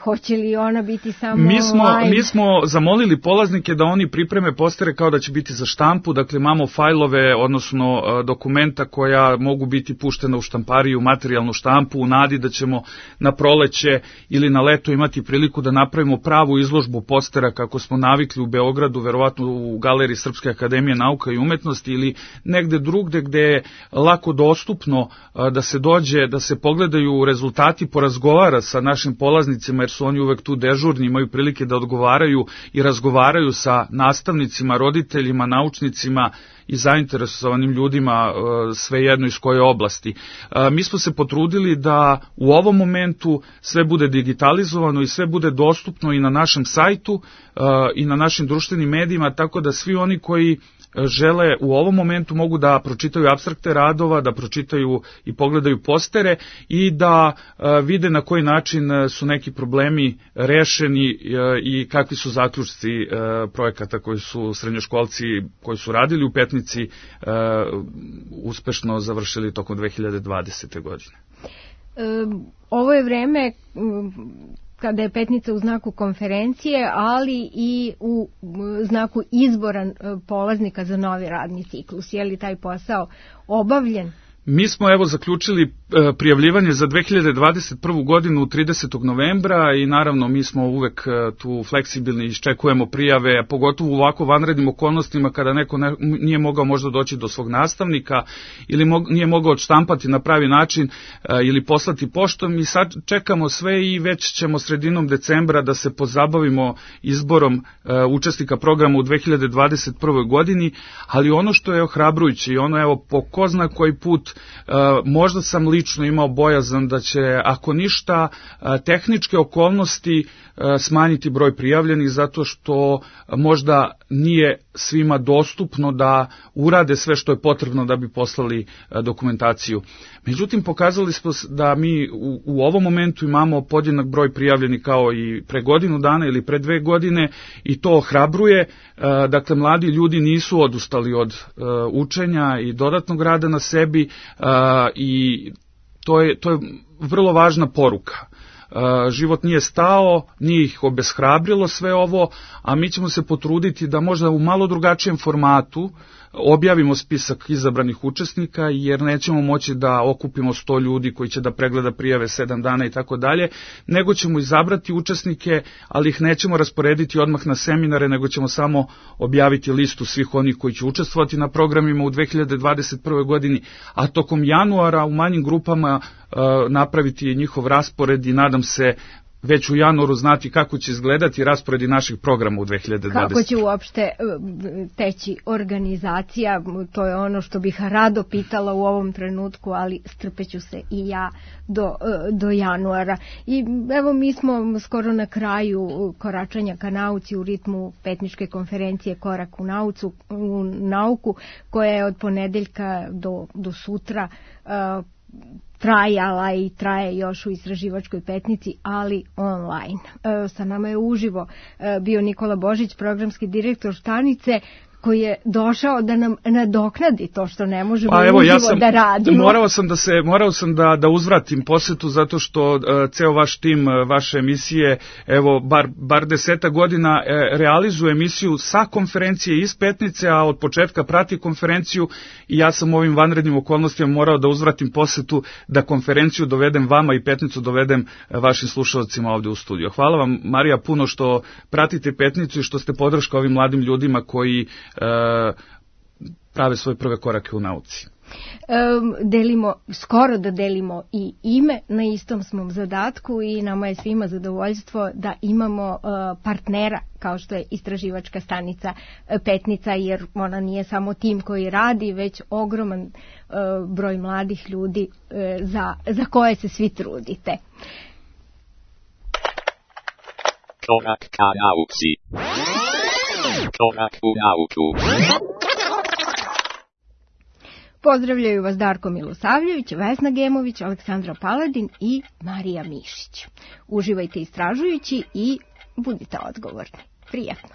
Hoće li ona biti samo online? Mi smo zamolili polaznike da oni pripreme postere kao da će biti za štampu, dakle imamo fajlove, odnosno dokumenta koja mogu biti puštena u štampariju, materijalnu štampu, u nadi da ćemo na proleće ili na leto imati priliku da napravimo pravu izložbu postera kako smo navikli u Beogradu, verovatno u Galeriji Srpske akademije nauka i umetnosti ili negde drugde gde je lako dostupno da se dođe, da se pogledaju rezultati, porazgovara sa našim polaznicima jer su oni uvek tu dežurni, imaju prilike da odgovaraju i razgovaraju sa nastavnicima, roditeljima, naučnicima i zainteresovanim ljudima svejedno iz koje oblasti. Mi smo se potrudili da u ovom momentu sve bude digitalizovano i sve bude dostupno i na našem sajtu i na našim društvenim medijima, tako da svi oni koji žele u ovom momentu mogu da pročitaju apstrakte radova, da pročitaju i pogledaju postere i da vide na koji način su neki problemi rešeni i kakvi su zaključci projekata koji su srednjoškolci koji su radili u Petnici uspešno završili tokom 2020. godine. Ovo je vreme kada je Petnica u znaku konferencije, ali i u znaku izbora polaznika za novi radni ciklus. Je li taj posao obavljen? Mi smo zaključili prijavljivanje za 2021. godinu 30. novembra i naravno mi smo uvek tu fleksibilni, iščekujemo prijave, pogotovo u ovako vanrednim okolnostima kada neko nije mogao možda doći do svog nastavnika ili nije mogao odštampati na pravi način ili poslati poštom i sad čekamo sve i već ćemo sredinom decembra da se pozabavimo izborom učesnika programa u 2021. godini, ali ono što je ohrabrujuće i ono po ko zna koji put možda sam lično imao bojazan da će, ako ništa, tehničke okolnosti smanjiti broj prijavljenih zato što možda nije svima dostupno da urade sve što je potrebno da bi poslali dokumentaciju. Međutim, pokazali smo da mi u ovom momentu imamo podjednak broj prijavljenih kao i pre godinu dana ili pre 2 godine i to ohrabruje. Dakle, mladi ljudi nisu odustali od učenja i dodatnog rada na sebi i to je vrlo važna poruka. Život nije stao, nije ih obeshrabrilo sve ovo, a mi ćemo se potruditi da možda u malo drugačijem formatu objavimo spisak izabranih učesnika, jer nećemo moći da okupimo 100 ljudi koji će da pregleda prijave 7 dana i tako dalje, nego ćemo izabrati učesnike, ali ih nećemo rasporediti odmah na seminare, nego ćemo samo objaviti listu svih onih koji će učestvovati na programima u 2021. godini, a tokom januara u manjim grupama napraviti njihov raspored i nadam se već u januaru znati kako će izgledati rasporedi naših programa u 2020. Kako će uopšte teći organizacija, to je ono što bih rado pitala u ovom trenutku, ali strpeću se i ja do januara. I evo mi smo skoro na kraju koračanja ka nauci u ritmu Petničke konferencije Korak u nauku, koja je od ponedeljka do sutra trajala i traje još u Istraživačkoj Petnici, ali online. Sa nama je uživo bio Nikola Božić, programski direktor stanice, koji je došao da nam nadoknadi to što ne možemo uživo da radimo. Morao sam da uzvratim posetu zato što ceo vaš tim, vaše emisije, evo bar 10 godina realizuje emisiju sa konferencije iz Petnice, a od početka prati konferenciju i ja sam u ovim vanrednim okolnostima morao da uzvratim posetu da konferenciju dovedem vama i Petnicu dovedem vašim slušalcima ovde u studiju. Hvala vam, Marija, puno što pratite Petnicu i što ste podrška ovim mladim ljudima koji prave svoje prve korake u nauci. Skoro da delimo i ime, na istom smo zadatku i nama je svima zadovoljstvo da imamo partnera kao što je Istraživačka stanica Petnica, jer ona nije samo tim koji radi, već ogroman broj mladih ljudi za koje se svi trudite. Korak ka nauci. Korak u nauku. Pozdravljaju vas Darko Milosavljević, Vesna Gemović, Aleksandra Paladin i Marija Mišić. Uživajte istražujući i budite odgovorni. Prijatno.